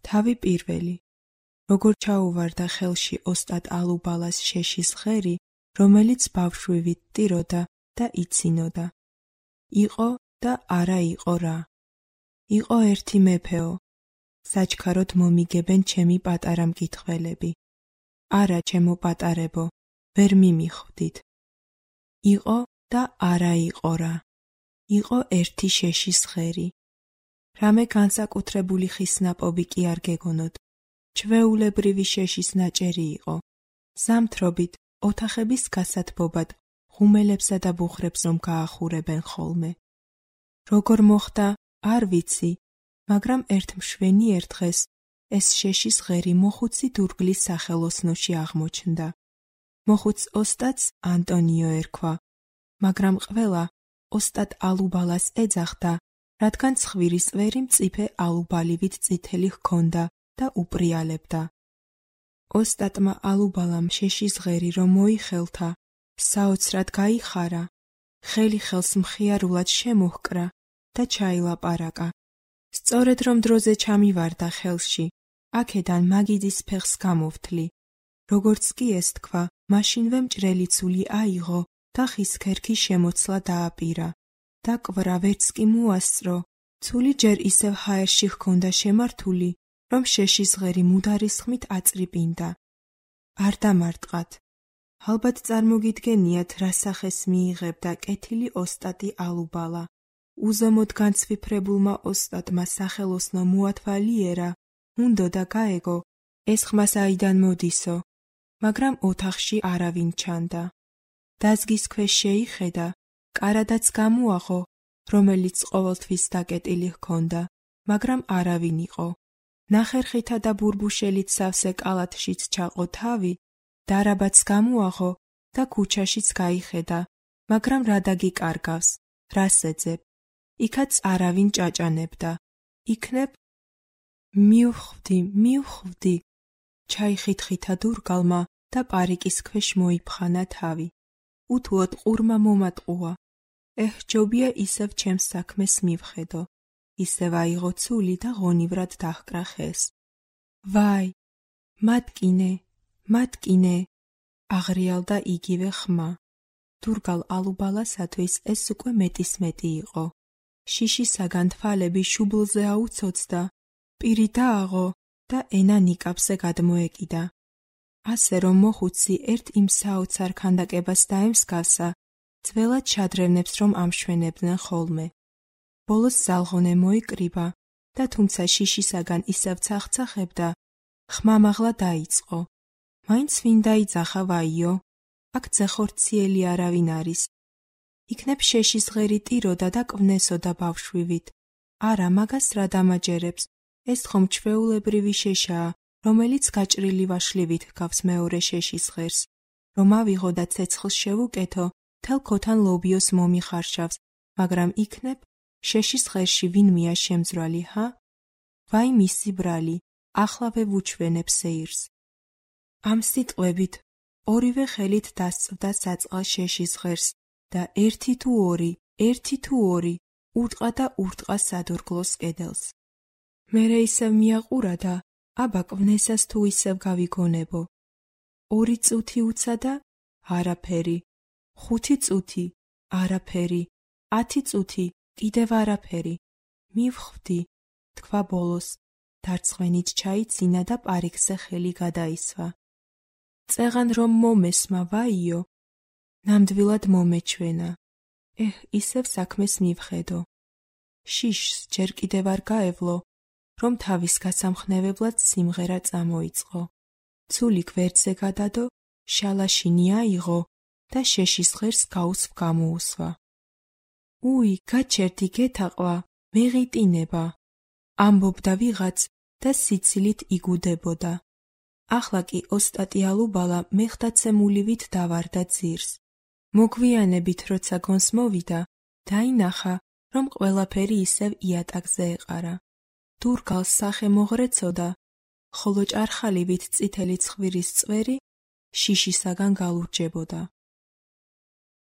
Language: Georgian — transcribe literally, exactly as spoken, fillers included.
თავი პირველი. როგორ ჩაუვარდა ხელში ოსტატ ალუბალას შეშის ღერი, რომელიც ბავშვივით ტიროდა და იცინოდა. იყო და არა იყო რა. იყო ერთი მეფეო. საჩქაროდ მომიგებენ ჩემი პატარა მკითხველები. არა, ჩემო პატარებო, ვერ მიმიხვდით. იყო და არა იყო რა. იყო ერთი შეშის ღერი. რამე განსაკუთრებული ხის ნაპოვი კი არ გეგონოთ. ჩვეულებრივი შეშის ნაჭერი იყო. ზამთრობით ოთახების გასათბობად ღუმელებსა და ბუხრებს რომ გაახურებენ ხოლმე. როგორ მოხდა, არ ვიცი, მაგრამ ერთ მშვენიერ დღეს ეს შეშის ღერი მოხუცი დურგლის სახელოსნოში აღმოჩნდა. მოხუც ოსტატს ანტონიო ერქვა, მაგრამ ყველა ოსტატ ალუბალას ეძახდა, რადგან ცხვირის წვერი მწიფე ალუბალივით წითელი ჰქონდა და უპრიალებდა. ოსტატმა ალუბალამ შეშის ღერი რომ მოიხელთა, საოცრად გაიხარა, ხელი ხელს მხიარულად შემოჰკრა და ჩაილაპარაკა. სწორედ რომ დროზე ჩამივარდა ხელში, აქედან მაგიდის ფეხს გამოვთლი. როგორც კი ეს თქვა, მაშინვე მჭრელი ცული აიღო და ხის ქერქი შემოცლა დააპირა და კვრა ვერც კი მოასწრო. ცული ჯერ ისევ ჰაერში ჰქონდა შემართული, რომ შეშის ღერი მუდარის ხმით აწრიპინდა. არ დამარტყათ. ალბათ წარმოგიდგენიათ, რა სახეს მიიღებდა კეთილი ოსტატი ალუბალა. უზომოდ განცვიფრებულმა ოსტატმა სახელოსნო მოათვალიერა, უნდოდა გაეგო, ეს ხმა საიდან მოდისო, მაგრამ ოთახში არავინ ჩანდა. დაზგის ქვეშ შეიხედა, კარადაც გამოაღო, რომელიც ყოველთვის დაკეტილი ჰქონდა, მაგრამ არავინ იყო. ნახერხითა და ბურბუშელით სავსე კალათშიც ჩაყო თავი, დარაბაც გამოაღო და ქუჩაშიც გაიხედა, მაგრამ რა დაგიკარგავს, რას ეძებ? იქაც არავინ ჭაჭანებდა. იქნებ მივხვდი, მივხვდი, ჩაიხითხითა დურგალმა და პარიკის ქვეშ მოიფხანა თავი. უთუოდ ყურმა მომატყუა. ეჰ, ჯობია ისევ ჩემს საქმეს მივხედო. ისევ აიღო ცული და ღონივრად დაჰკრა ხეს. ვაი, მატკინე, მატკინე, აღრიალდა იგივე ხმა. დურგალ ალუბალასათვის ეს უკვე მეტის მეტი იყო. შიშისაგან თვალები შუბლზე აუცოცდა, პირი დააღო და ენა ნიკაპზე გადმოეკიდა. ასე რომ მოხუცი ერთ იმ საოცარ ქანდაკებას დაემსგავსა, ძველად შადრევნებს რომ ამშვენებდნენ ხოლმე. ბოლოს ზალღონე მოიკრიბა და თუმცა შიშისაგან ისევ ცახცახებდა, ხმა მაღლა დაიწყო. მაინც ვინ დაიძახა ვაიო? აქ ძეხორციელი არავინ არის. იქნებ შეშის ღერი ტიროდა და კვნესოდა ბავშვივით. არა, მაგას რა დამაჯერებს? ეს ხომ ჩვეულებრივი შეშაა, რომელიც გაჭრილი ვაშლივით ჰგავს მეორე შეშის ღერს. რომ ავიღო და ცეცხლს შევუკეთო, თელ ქოთან ლობიოს მომიხარშავს, მაგრამ იქნებ შეშის ღერში ვინმეა შემძვრალი, ჰა? ვაი მისი ბრალი, ახლავე ვუჩვენებ სეირს. ამ სიტყვებით ორივე ხელით დასწვდა საწყალ შეშის ღერს და ერთი თუ ორი, ერთი თუ ორი ურტყა და ურტყა სადურგლოს კედელს. მერე ისევ მიაყურა და აბა კვნესას თუ ისევ გავიგონებო. ორი წუთი უცადა? არაფერი. ხუთი წუთი? არაფერი. ათი წუთი? კიდევ არაფერი. მივხვდი, თქვა ბოლოს. დარცხვენით ჩაიცინა და პარიკზე ხელი გადაისვა. წეღან რომ მომესმა ვაიო, ნამდვილად მომეჩვენა. ეჰ, ისევ საქმეს მივხედო. შიშს ჯერ კიდევ არ გაევლო, რომ თავის გასამხნევებლად სიმღერა წამოიწყო. ცული გვერდზე გადადო, შალაშინი აიღო და შეშის ღერს გაუსვ გამოუსვა. უი, გაჩერდი გეთაყვა, მეღიტინება, ამბობდა ვიღაც და სიცილით იგუდებოდა. ახლა კი ოსტატი ალუბალა მეხტაცემულივით დავარდა ძირს. მოგვიანებით როცა გონს მოვიდა, დაინახა, რომ ყველაფერი ისევ იატაკზე ეყარა. დურგალს სახე მოღრეცოდა, ხოლო ჭარხალივით წითელი ცხვირის წვერი შიშისაგან გალურჯებოდა.